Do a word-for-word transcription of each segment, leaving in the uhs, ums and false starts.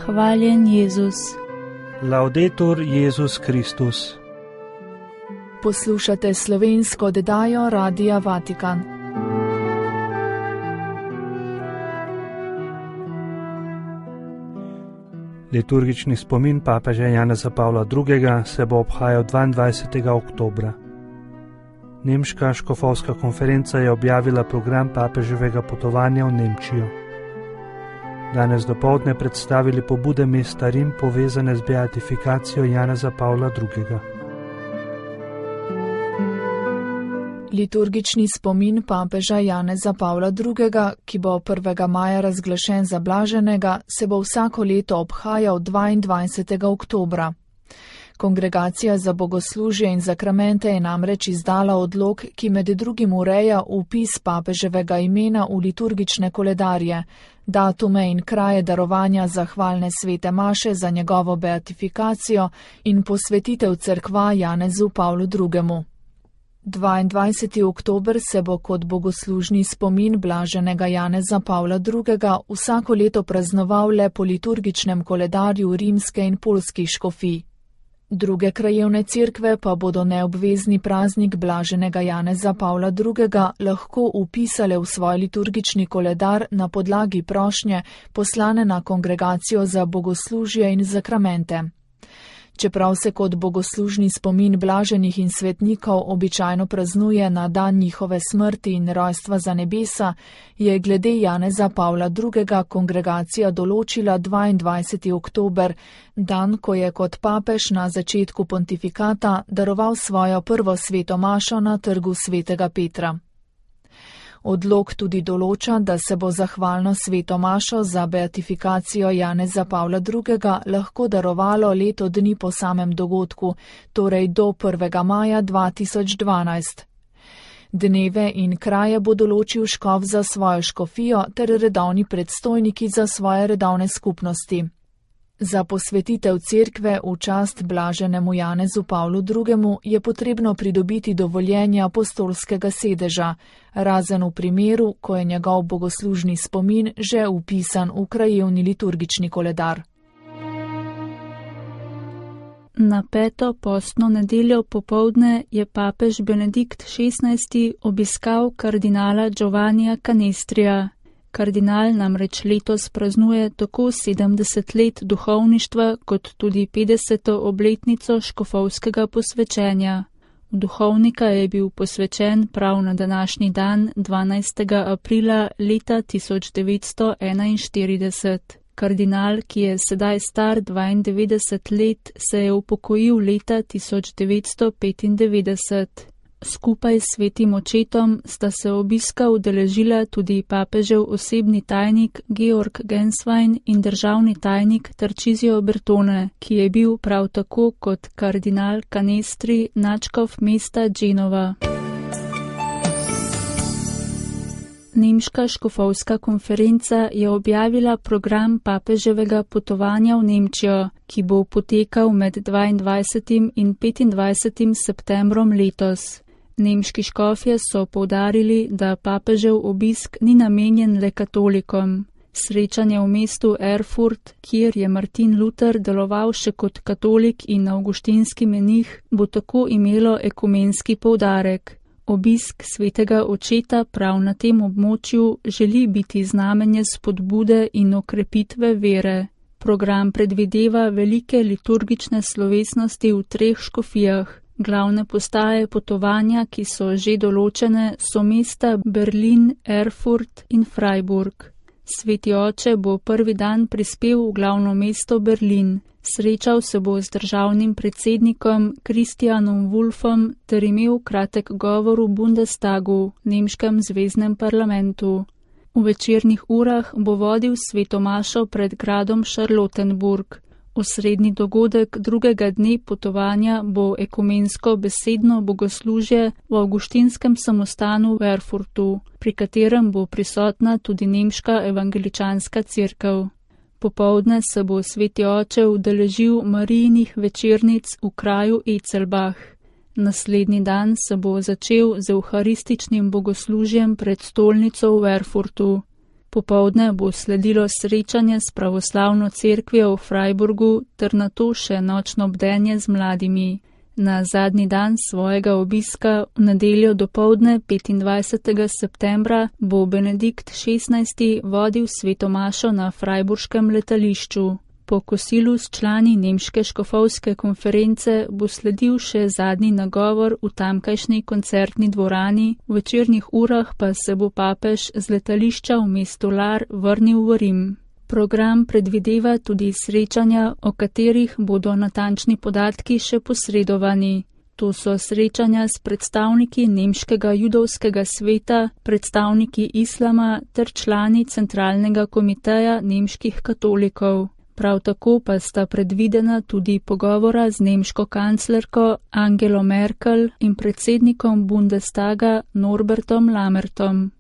Hvaljen Jezus. Laudetur Jezus Kristus. Poslušate slovensko oddajo Radia Vatikan. Liturgični spomin papeža Janeza Pavla drugega. se bo obhajal dvaindvajsetega oktobra. Nemška škofovska konferenca je objavila program papeževega potovanja v Nemčijo. Danes dopoldne predstavili pobude mesta Rim povezane z beatifikacijo Janeza Pavla drugega. Liturgični spomin papeža Janeza Pavla drugega, ki bo prvega maja razglašen za blaženega, se bo vsako leto obhajal dvaindvajsetega oktobra. Kongregacija za bogoslužje in zakramente je namreč izdala odlok, ki med drugim ureja vpis papeževega imena v liturgične koledarje, datume in kraje darovanja zahvalne svete maše za njegovo beatifikacijo in posvetitev cerkva Janezu Pavlu drugemu. dvaindvajseti oktober se bo kot bogoslužni spomin blaženega Janeza Pavla drugega. vsako leto praznoval le po liturgičnem koledarju rimske in poljskih škofij. Druge krajevne cerkve pa bodo neobvezni praznik blaženega Janeza Pavla drugega. lahko vpisale v svoj liturgični koledar na podlagi prošnje poslane na Kongregacijo za bogoslužje in zakramente. Čeprav se kot bogoslužni spomin blaženih in svetnikov običajno praznuje na dan njihove smrti in rojstva za nebesa, je glede Janeza Pavla drugega. kongregacija določila dvaindvajseti oktober, dan, ko je kot papež na začetku pontifikata daroval svojo prvo sveto mašo na trgu svetega Petra. Odlok tudi določa, da se bo zahvalno sveto mašo za beatifikacijo Janeza Pavla drugega. lahko darovalo leto dni po samem dogodku, torej do prvega maja dva tisoč dvanajst. Dneve in kraje bo določil škof za svojo škofijo ter redovni predstojniki za svoje redovne skupnosti. Za posvetitev cerkve v čast blaženemu Janezu Pavlu drugemu. je potrebno pridobiti dovoljenje apostolskega sedeža, razen v primeru, ko je njegov bogoslužni spomin že vpisan v krajevni liturgični koledar. Na peto postno nedeljo popoldne je papež Benedikt šestnajsti obiskal kardinala Giovannija Canestrija. Kardinal namreč letos praznuje tako sedemdeset let duhovništva kot tudi petdeseto obletnico škofovskega posvečenja. V duhovnika je bil posvečen prav na današnji dan, dvanajstega aprila leta tisoč devetsto enainštirideset. Kardinal, ki je sedaj star dvaindevetdeset let, se je upokojil leta tisoč devetsto petindevetdeset. Skupaj s svetim očetom sta se obiska udeležila tudi papežev osebni tajnik Georg Genswein in državni tajnik Tarcisio Bertone, ki je bil prav tako kot kardinal Canestri nadškof mesta Genova. Nemška škofovska konferenca je objavila program papeževega potovanja v Nemčijo, ki bo potekal med dvaindvajsetim in petindvajsetim septembrom letos. Nemški škofje so poudarili, da papežev obisk ni namenjen le katolikom. Srečanje v mestu Erfurt, kjer je Martin Luther deloval še kot katolik in avguštinski menih, bo tako imelo ekumenski poudarek. Obisk svetega očeta prav na tem območju želi biti znamenje spodbude in okrepitve vere. Program predvideva velike liturgične slovesnosti v treh škofijah. Glavne postaje potovanja, ki so že določene, so mesta Berlin, Erfurt in Freiburg. Sveti oče bo prvi dan prispel v glavno mesto Berlin. Srečal se bo z državnim predsednikom Christianom Wulffom ter imel kratek govor v Bundestagu, nemškem zveznem parlamentu. V večernih urah bo vodil sveto mašo pred gradom Charlottenburg. Osrednji dogodek drugega dne potovanja bo ekumensko besedno bogoslužje v avguštinskem samostanu v Erfurtu, pri katerem bo prisotna tudi nemška evangeličanska cerkev. Popoldne se bo sveti oče udeležil Marijinih večernic v kraju Ecelbach. Naslednji dan se bo začel z evharističnim bogoslužjem pred stolnico v Erfurtu. Popovdne bo sledilo srečanje s pravoslavno cerkvijo v Freiburgu ter nato še nočno bdenje z mladimi. Na zadnji dan svojega obiska v nedeljo dopoldne petindvajsetega septembra bo Benedikt šestnajsti vodil sveto mašo na freiburškem letališču. Po kosilu s člani nemške škofovske konference bo sledil še zadnji nagovor v tamkajšnji koncertni dvorani, v večernih urah pa se bo papež z letališča v mesto Lar vrnil v Rim. Program predvideva tudi srečanja, o katerih bodo natančni podatki še posredovani. To so srečanja s predstavniki nemškega judovskega sveta, predstavniki islama ter člani centralnega komiteja nemških katolikov. Prav tako pa sta predvidena tudi pogovora z nemško kanclerko Angelo Merkel in predsednikom Bundestaga Norbertom Lammertom.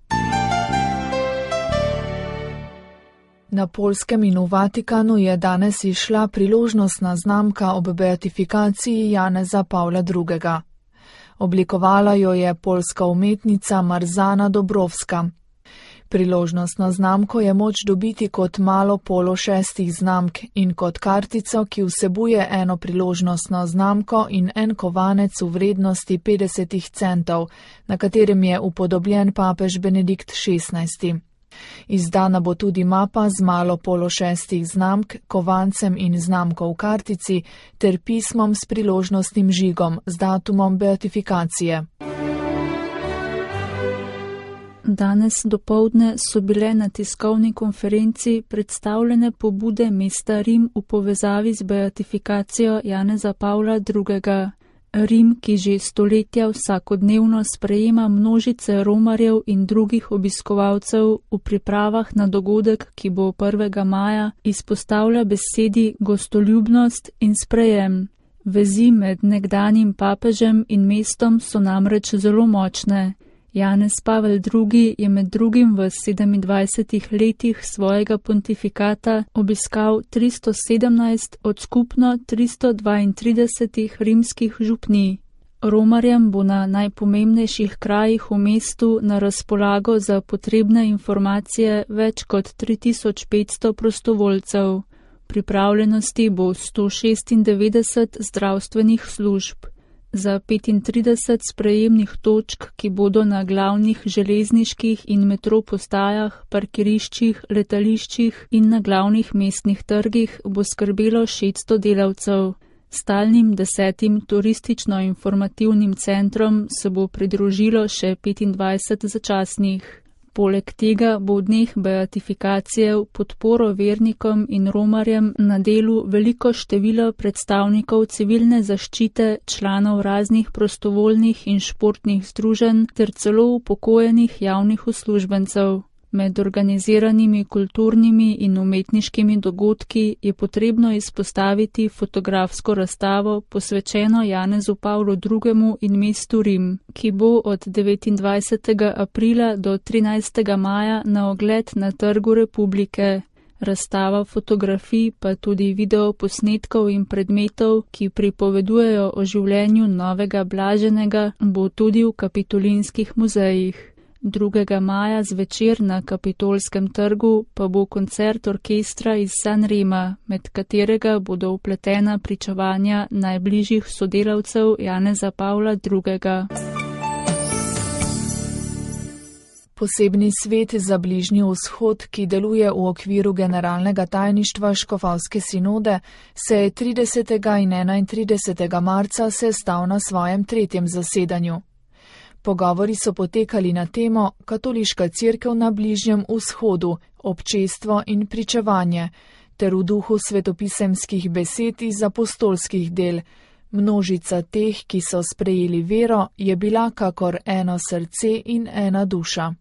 Na Poljskem in v Vatikanu je danes izšla priložnostna znamka ob beatifikaciji Janeza Pavla drugega. Oblikovala jo je poljska umetnica Marzana Dobrovska. Priložnostno znamko je moč dobiti kot malo polo šestih znamk in kot kartico, ki vsebuje eno priložnostno znamko in en kovanec v vrednosti petdeset centov, na katerem je upodobljen papež Benedikt šestnajsti. Izdana bo tudi mapa z malo polo šestih znamk, kovancem in znamko v kartici ter pismom s priložnostnim žigom z datumom beatifikacije. Danes dopoldne so bile na tiskovni konferenci predstavljene pobude mesta Rim v povezavi z beatifikacijo Janeza Pavla drugega. Rim, ki že stoletja vsakodnevno sprejema množice romarjev in drugih obiskovalcev v pripravah na dogodek, ki bo prvega maja, izpostavlja besedi gostoljubnost in sprejem. Vezi med nekdanjim papežem in mestom so namreč zelo močne. Janez Pavel drugi je med drugim v sedemindvajsetih letih svojega pontifikata obiskal tristo sedemnajst od skupno tristo dvaintridesetih rimskih župnij. Romarjem bo na najpomembnejših krajih v mestu na razpolago za potrebne informacije več kot tri tisoč petsto prostovoljcev. V pripravljenosti bo sto šestindevetdeset zdravstvenih služb. Za petintrideset sprejemnih točk, ki bodo na glavnih železniških in metro postajah, parkiriščih, letališčih in na glavnih mestnih trgih, bo skrbelo šeststo delavcev. Stalnim desetim turistično-informativnim centrom se bo pridružilo še petindvajset začasnih. Poleg tega bo v dneh beatifikacije v podporo vernikom in romarjem na delu veliko število predstavnikov civilne zaščite, članov raznih prostovoljnih in športnih združenj ter celo upokojenih javnih uslužbencev. Med organiziranimi kulturnimi in umetniškimi dogodki je potrebno izpostaviti fotografsko razstavo posvečeno Janezu Pavlu drugemu in mestu Rim, ki bo od devetindvajsetega aprila do trinajstega maja na ogled na Trgu Republike. Razstava fotografij pa tudi videoposnetkov in predmetov, ki pripovedujejo o življenju novega blaženega, bo tudi v kapitolinskih muzejih. drugega maja zvečer na Kapitolskem trgu pa bo koncert orkestra iz Sanrema, med katerega bodo vpletena pričevanja najbližjih sodelavcev Janeza Pavla drugega. Posebni svet za Bližnji vzhod, ki deluje v okviru generalnega tajništva Škofovske sinode, se je tridesetega in enaintridesetega marca sestal na svojem tretjem zasedanju. Pogovori so potekali na temo Katoliška cerkev na Bližnjem vzhodu, občestvo in pričevanje, ter v duhu svetopisemskih besed iz apostolskih del. Množica teh, ki so sprejeli vero, je bila kakor eno srce in ena duša.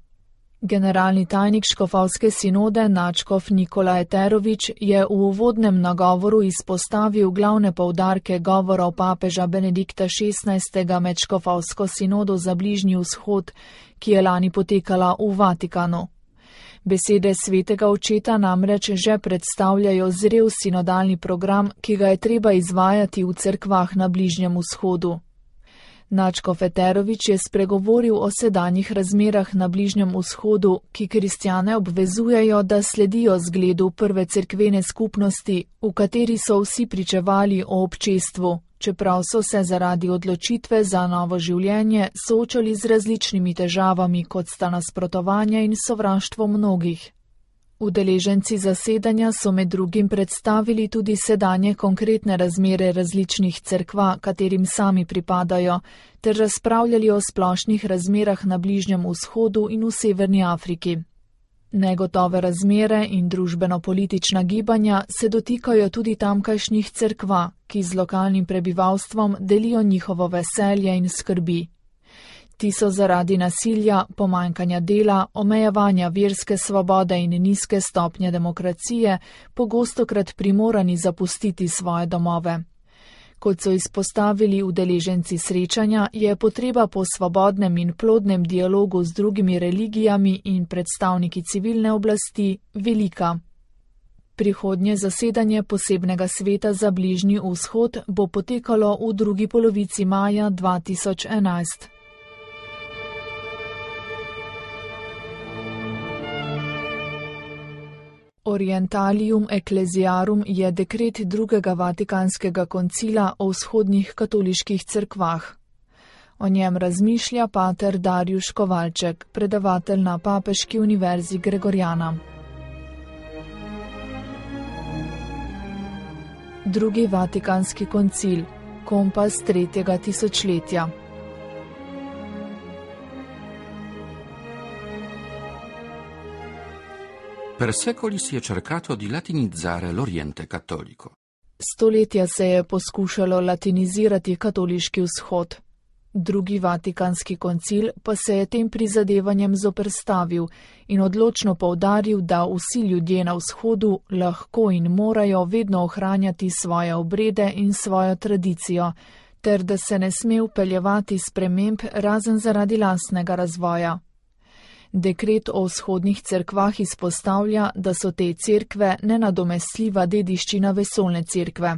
Generalni tajnik Škofovske sinode nadškof Nikolaj Terovič je v uvodnem nagovoru izpostavil glavne poudarke govorov papeža Benedikta šestnajstega med Škofovsko sinodo za Bližnji vzhod, ki je lani potekala v Vatikanu. Besede svetega očeta namreč že predstavljajo zrel sinodalni program, ki ga je treba izvajati v cerkvah na Bližnjem vzhodu. Nadškof Eterović je spregovoril o sedanjih razmerah na Bližnjem vzhodu, ki kristjane obvezujejo, da sledijo zgledu prve cerkvene skupnosti, v kateri so vsi pričevali o občestvu, čeprav so se zaradi odločitve za novo življenje soočali z različnimi težavami, kot sta nasprotovanje in sovraštvo mnogih. Udeleženci zasedanja so med drugim predstavili tudi sedanje konkretne razmere različnih cerkva, katerim sami pripadajo, ter razpravljali o splošnih razmerah na Bližnjem vzhodu in v Severni Afriki. Negotove razmere in družbeno-politična gibanja se dotikajo tudi tamkajšnjih cerkva, ki z lokalnim prebivalstvom delijo njihovo veselje in skrbi. Ti so zaradi nasilja, pomanjkanja dela, omejevanja verske svobode in nizke stopnje demokracije pogostokrat primorani zapustiti svoje domove. Kot so izpostavili udeleženci srečanja, je potreba po svobodnem in plodnem dialogu z drugimi religijami in predstavniki civilne oblasti velika. Prihodnje zasedanje posebnega sveta za Bližnji vzhod bo potekalo v drugi polovici maja dva tisoč enajst. Orientalium Ecclesiarum je dekret drugega Vatikanskega koncila o vzhodnih katoliških cerkvah. O njem razmišlja pater Darjuš Kovalček, predavatelj na Papeški univerzi Gregorjana. Drugi Vatikanski koncil, kompas tretjega tisočletja. Per secoli si è cercato di latinizzare l'Oriente cattolico. Stoletja se je poskušalo latinizirati katoliški vzhod. Drugi Vatikanski koncil pa se je tem prizadevanjem zoperstavil in odločno poudaril, da vsi ljudje na vzhodu lahko in morajo vedno ohranjati svoje obrede in svojo tradicijo, ter da se ne sme vpeljevati sprememb razen zaradi lastnega razvoja. Dekret o vzhodnih cerkvah izpostavlja, da so te cerkve nenadomestljiva dediščina vesoljne cerkve.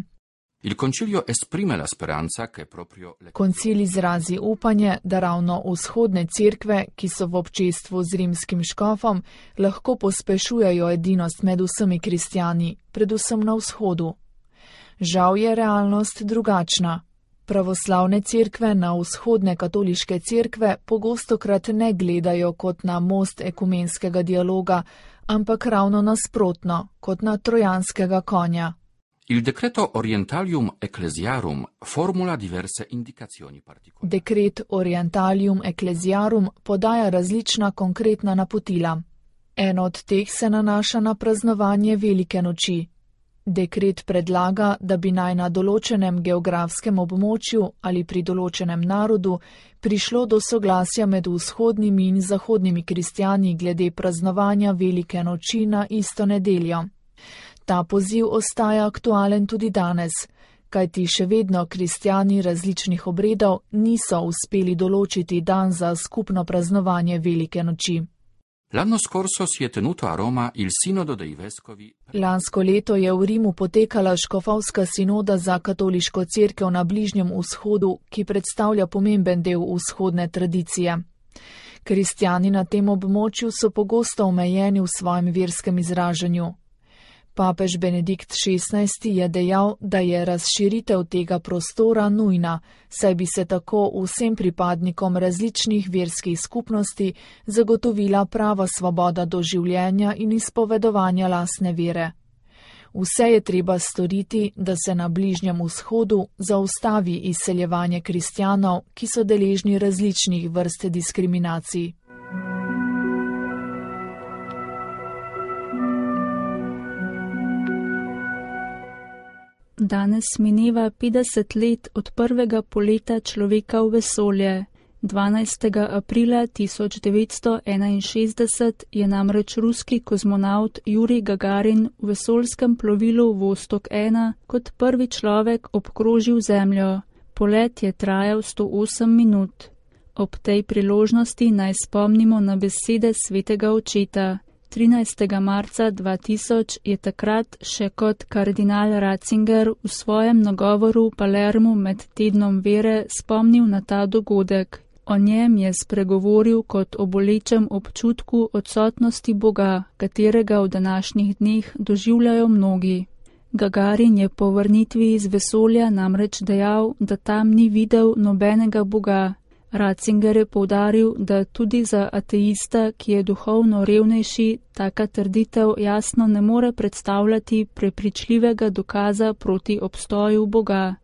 Il concilio esprime la speranza che proprio le... Koncil izrazi upanje, da ravno vzhodne cerkve, ki so v občestvu z rimskim škofom, lahko pospešujejo edinost med vsemi kristjani, predvsem na vzhodu. Žal je realnost drugačna. Pravoslavne cerkve na vzhodne katoliške cerkve pogostokrat ne gledajo kot na most ekumenskega dialoga, ampak ravno nasprotno, kot na trojanskega konja. Il decreto Orientalium Ecclesiarum formula diverse indicazioni particolari. Dekret Orientalium Ecclesiarum podaja različna konkretna napotila. Eno od teh se nanaša na praznovanje velike noči. Dekret predlaga, da bi naj na določenem geografskem območju ali pri določenem narodu prišlo do soglasja med vzhodnimi in zahodnimi kristjani glede praznovanja velike noči na isto nedeljo. Ta poziv ostaja aktualen tudi danes, kajti še vedno kristjani različnih obredov niso uspeli določiti dan za skupno praznovanje velike noči. L'anno scorso si è tenuto a Roma il Sinodo dei Vescovi. Lansko leto je v Rimu potekala škofovska sinoda za katoliško cerkev na Bližnjem vzhodu, ki predstavlja pomemben del vzhodne tradicije. Kristjani na tem območju so pogosto omejeni v svojem verskem izražanju. Papež Benedikt šestnajsti je dejal, da je razširitev tega prostora nujna, saj bi se tako vsem pripadnikom različnih verskih skupnosti zagotovila prava svoboda do življenja in izpovedovanja lastne vere. Vse je treba storiti, da se na Bližnjem vzhodu zaustavi izseljevanje kristjanov, ki so deležni različnih vrst diskriminacij. Danes mineva petdeset let od prvega poleta človeka v vesolje. dvanajstega aprila tisoč devetsto enainšestdeset je namreč ruski kozmonaut Jurij Gagarin v vesoljskem plovilu Vostok ena kot prvi človek obkrožil Zemljo. Polet je trajal sto osem minut. Ob tej priložnosti naj spomnimo na besede svetega očeta. trinajstega marca dva tisoč je takrat še kot kardinal Ratzinger v svojem nagovoru v Palermu med tednom vere spomnil na ta dogodek. O njem je spregovoril kot o bolečem občutku odsotnosti Boga, katerega v današnjih dneh doživljajo mnogi. Gagarin je po vrnitvi iz vesolja namreč dejal, da tam ni videl nobenega Boga. Ratzinger je poudaril, da tudi za ateista, ki je duhovno revnejši, taka trditev jasno ne more predstavljati prepričljivega dokaza proti obstoju Boga.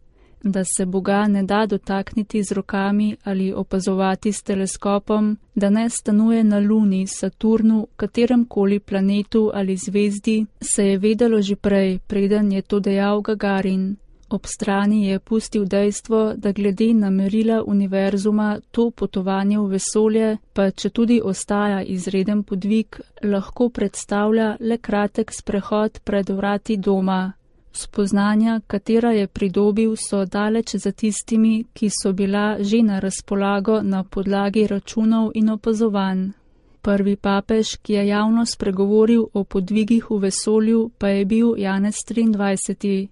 Da se Boga ne da dotakniti z rokami ali opazovati s teleskopom, da ne stanuje na Luni, Saturnu, kateremkoli planetu ali zvezdi, se je vedelo že prej, preden je to dejal Gagarin. Ob strani je pustil dejstvo, da glede na merila univerzuma to potovanje v vesolje, pa če tudi ostaja izreden podvig, lahko predstavlja le kratek sprehod pred vrati doma. Spoznanja, katera je pridobil, so daleč za tistimi, ki so bila že na razpolago na podlagi računov in opazovanj. Prvi papež, ki je javno spregovoril o podvigih v vesolju, pa je bil Janez triindvajseti.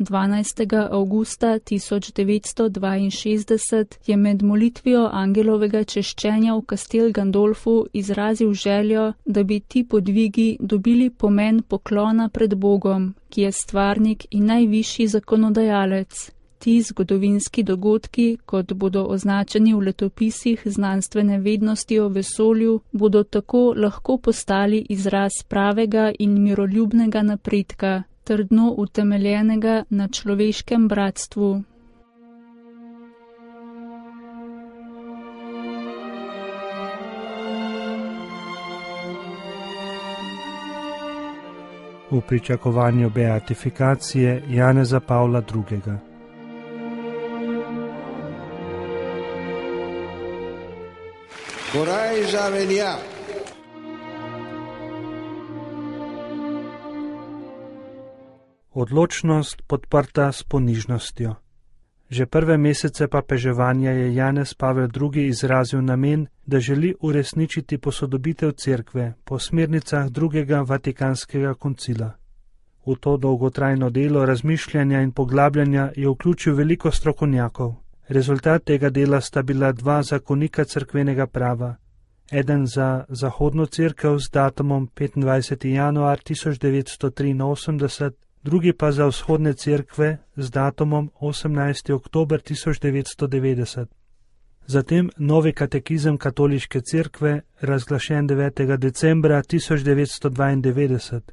dvanajstega avgusta tisoč devetsto dvainšestdeset je med molitvijo angelovega češčenja v Castel Gandolfu izrazil željo, da bi ti podvigi dobili pomen poklona pred Bogom, ki je stvarnik in najvišji zakonodajalec. Ti zgodovinski dogodki, kot bodo označeni v letopisih znanstvene vednosti o vesolju, bodo tako lahko postali izraz pravega in miroljubnega napredka, trdno utemeljenega na človeškem bratstvu. V pričakovanju beatifikacije Janeza Pavla drugega. Coraggio venia. Odločnost podprta s ponižnostjo. Že prve mesece papeževanja je Janez Pavel drugi izrazil namen, da želi uresničiti posodobitev cerkve po smernicah drugega vatikanskega koncila. V to dolgotrajno delo razmišljanja in poglabljanja je vključil veliko strokovnjakov. Rezultat tega dela sta bila dva zakonika cerkvenega prava. Eden za zahodno cerkev z datumom petindvajseti januar tisoč devetsto triinosemdeset, drugi pa za vzhodne cerkve z datumom osemnajsti oktober tisoč devetsto devetdeset. Zatem novi katekizem katoliške cerkve, razglašen devetega decembra tisoč devetsto dvaindevetdeset,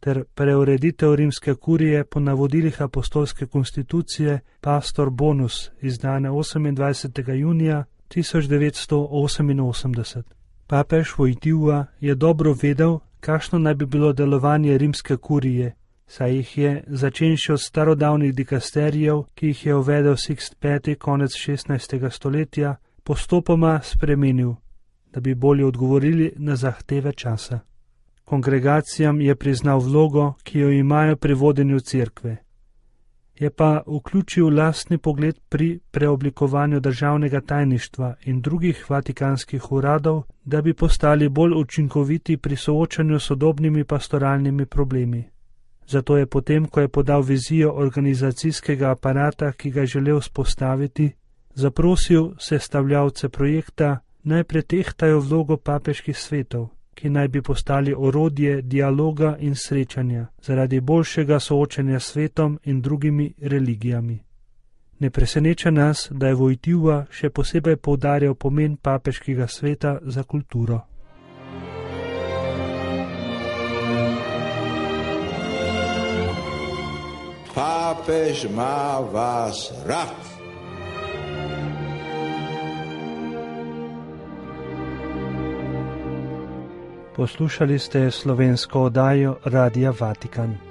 ter preureditev rimske kurije po navodilih apostolske konstitucije Pastor Bonus, izdane osemindvajsetega junija tisoč devetsto oseminosemdeset. Papež Wojtyła je dobro vedel, kakšno naj bi bilo delovanje rimske kurije, saj jih je, začenši od starodavnih dikasterijev, ki jih je uvedel Sixt peti konec šestnajstega stoletja, postopoma spremenil, da bi bolje odgovorili na zahteve časa. Kongregacijam je priznal vlogo, ki jo imajo pri vodenju cerkve. Je pa vključil lastni pogled pri preoblikovanju državnega tajništva in drugih vatikanskih uradov, da bi postali bolj učinkoviti pri soočanju s sodobnimi pastoralnimi problemi. Zato je potem, ko je podal vizijo organizacijskega aparata, ki ga je želel vzpostaviti, zaprosil sestavljavce projekta, naj pretehtajo vlogo papeških svetov, ki naj bi postali orodje dialoga in srečanja zaradi boljšega soočanja s svetom in drugimi religijami. Ne preseneča nas, da je Wojtyła še posebej poudarjal pomen papeškega sveta za kulturo. Papež ima vas rad. Poslušali ste slovensko oddajo Radia Vatikan.